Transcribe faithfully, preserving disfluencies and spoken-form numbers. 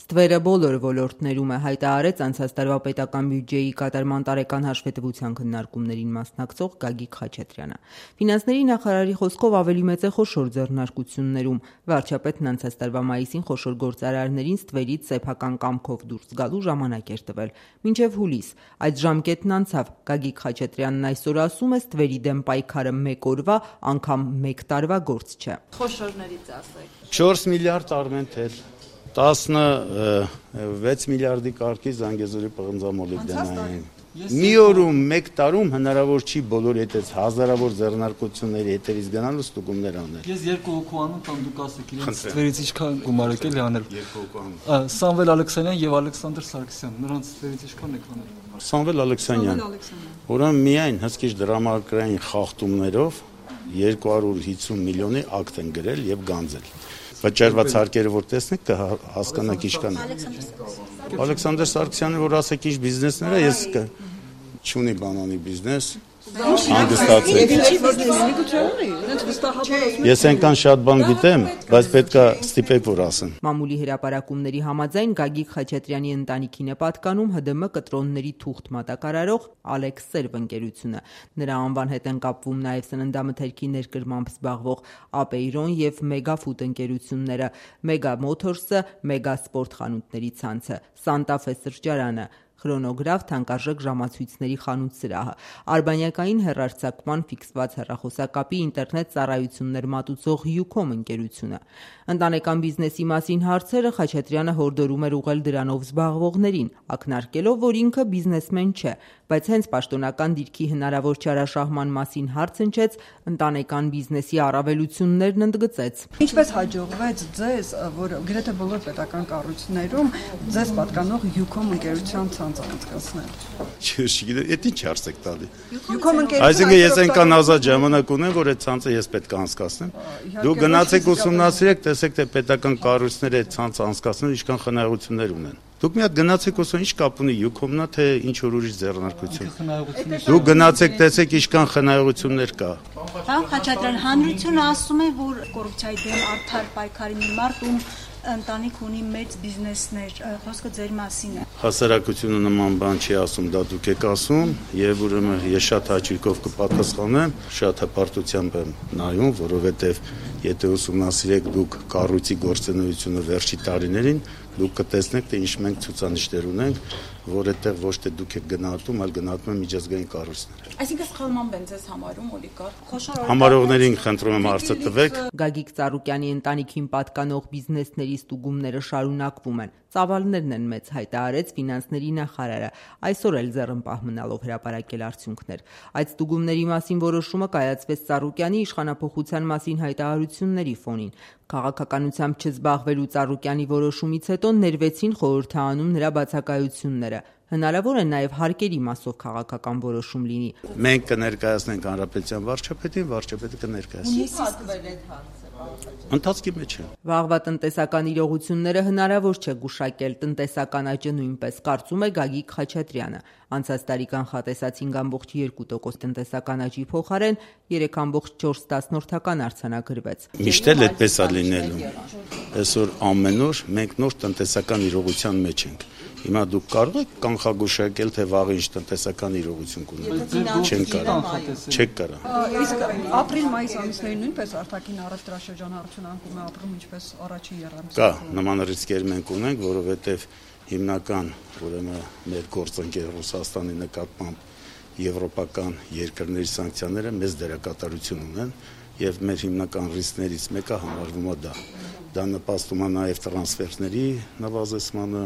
Ստվերը բոլոր ոլորտներում է, հայտարարեց անցած տարվա պետական բյուջեի կատարման տարեկան հաշվետվության քննարկումներին մասնակցող Գագիկ Խաչատրյանը։ Ֆինանսների նախարարի խոսքով ավելի մեծ է խոշոր ձեռնարկություններում։ Վարչապետն անցած տարվա մայիսին խոշոր գործարարներին ստվերից սեփական կամքով դուրս գալու ժամանակ էր տվել։ Մինչև հուլիս այդ ժամկետն անցավ։ Գագիկ Խաչատրյանն այսօր ասում է, ստվերի դեմ պայքարը մեկ օրվա, անգամ մեկ տարվա գործ չէ։ Խոշորներից ասեք։ չորս միլիարդ Արմենտել, տասնվեց միլիարդի կարգի Զանգեզուրի պղնձամոլիբդենային։ Մի օրում, մեկ տարում հնարավոր չի բոլոր հետից հազարավոր ձեռնարկությունների հետերից գնալ ու ստուգումներ անել։ Ես երկու հոգու անում տան դուք ասեք իրենց ստվերից ինչքան գումար եկել է անել։ Երկու հոգու անում։ Սամվել Ալեքսանյան եւ Ալեքսանդր Սարգսյան, նրանց ստվերից ինչքան եք անել։ Սամվել Ալեքսանյան։ Ուրեմն միայն հսկիչ դրամարկղային խախտումներով երկու հարյուր հիսուն միլիոնի ակտ են գրել եւ գանձել։ Վճարված հարկերը որ տեսնեք կհասկանաք ինչքան է։ Ալեքսանդր Սարգսյանը որ ասեք ինչ բիզնեսներ է, ես չունի բանանի բիզնես, հանգստացեք։ Ես այնքան շատ բան գիտեմ, բայց պետք է ստիպեք որ ասեմ։ Մամուլի հրապարակումների համաձայն Գագիկ Խաչատրյանի ընտանիքին է պատկանում ՀԴՄ կտրոնների թուղթ մատակարարող Ալեքս Սերվ ընկերությունը։ Նրա անվան հետ են կապվում նաև սննդամթերքի ներկրմամբ զբաղվող Ապեյրոն եւ Մեգաֆուդ ընկերությունները, Մեգա Մոթորսը, Մեգա Սպորտ խանութների ցանցը, Սանտա Ֆե սրճարանը, Խրոնոգրաֆ թանկարժեք ժամացույցների խանութ սրահը, արբանյակային հեռարձակման ֆիքսված հեռախոսակապի ինտերնետ ծառայություններ մատուցող Յուկոմ ընկերությունը։ Ընտանեկան բիզնեսի մասին հարցերը Խաչատրյանը հորդորում էր ուղղել դրանով զբաղվողներին, ակնարկելով, որ ինքը բիզնեսմեն չէ, բայց հենց պաշտոնական դիրքի հնարավոր չարաշահման մասին հարց հնչեց, ընտանեկան բիզնեսի առավելություններն ընդգծեց։ Ինչպես հաջողվեց ձեզ, որ գրեթե բոլոր պետական կառույցներում ձեզ պատկանող Յուկոմ ընկերության ցանց անցկացնել։ Չգիտեմ, դա ինչ հարց եք տալի։ Յուկոմ ընկերությունը Այսինքն ես այնքան ազատ ժամանակ ունեմ, որ այդ ցանցը ես պետք է անցկացնեմ։ Դուք գնացեք ուսումնասիրեք, տեսեք թե պետական կառույցները այդ ցանցը անցկացնել ինչքան խնայողություններ ունեն։ Դուք մի հատ գնացեք ուսում ինչ կապ ունի Յուկոմնա թե ինչ որ ուրիշ ձեռնարկություն։ Դուք գնացեք տեսեք ինչքան խնայողություններ կա։ Պարոն Խաչատրյան, հանրությունը ասում է, որ կոռուպցիայի դեմ արդար պայքարի մի մարդ ում ընտանիք ունի մեծ բիզնեսներ, խոսքը ձեր մասին է։ Հասարակությունը նման բան չի ասում, դա դուք եք ասում, եւ ուրեմն ես շատ հաճույքով կպատասխանեմ, շատ հպարտությամբ եմ նայում, որովհետեւ եթե ուսումնասիրեք դուք կառույցի գործունեությունը վերջի տարիներին, դուք կտեսնեք, թե ինչ մենք ցուցանիշներ ունենք, որ այդտեղ ոչ թե դուք եք գնահատում, այլ գնահատում են միջազգային կառույցները։ Այսինքն սխալմամբ են ձեզ համարում օլիգարխ։ Համարողներին խնդրում եմ հարցը տվեք։ Գագիկ Ծառուկյանի ընտանիքին պատկանող բիզնեսների ստուգումները շարունակվում են։ Ծավալներն են մեծ, հայտարարեց ֆինանսների նախարարը, այսօր էլ ձեռնպահ մնալով հրապարակել արդյունքներ։ Այդ ստուգումների մասին որոշումը կայացվեց Ծառուկյանի իշխանափոխության մասին հայտարարությունների ֆոնին։ Քաղաքականությամբ չզբաղվելու Ծառուկյանի որոշումից հետո ներվեցին խորհրդանում նրա բացակայությունները։ Հնարավոր է նաև հարկերի մասով քաղաքական որոշում լինի։ Մենք կներկայացնենք հանրապետության վարչապետին, վարչապետը կներկայացնի։ Ընթացքի մեջ է։ Վաղվա տնտեսական իրողությունները հնարավոր չէ գուշակել, տնտեսական աճը նույնպես, կարծում է Գագիկ Խաչատրյանը։ Անցած տարի կանխատեսած հինգ կόμma երկու տոկոս տնտեսական աճի փոխարեն երեք կόμma չորս արձանագրվեց։ Միշտ էլ այդպես է լինելու։ Այսօր ամեն օր մենք նոր տնտեսական իրողության մեջ ենք։ Հիմա դուք կարող եք կանխագուշակել, թե վաղը ինչ տնտեսական իրողություն կունենա։ Չեն կարող։ Չեք կարող։ Իսկ ապրիլ-մայիս ամիսներին նույնպես արտաքին առևտրաշրջանառություն անկում է ապրում ինչպես առաջին եռամսյա։ Կա նման ռիսկեր մենք ունենք, որովհետև հիմնական ուրեմն մեր գործընկեր Ռուսաստանի նկատմամբ եվրոպական երկրների սանկցիաները մեծ դերակատարություն ունեն եւ մեր հիմնական ռիսկներից մեկը համարվում է դա։ Դա նպաստում է նաեւ տրանսֆերների նվազեցմանը,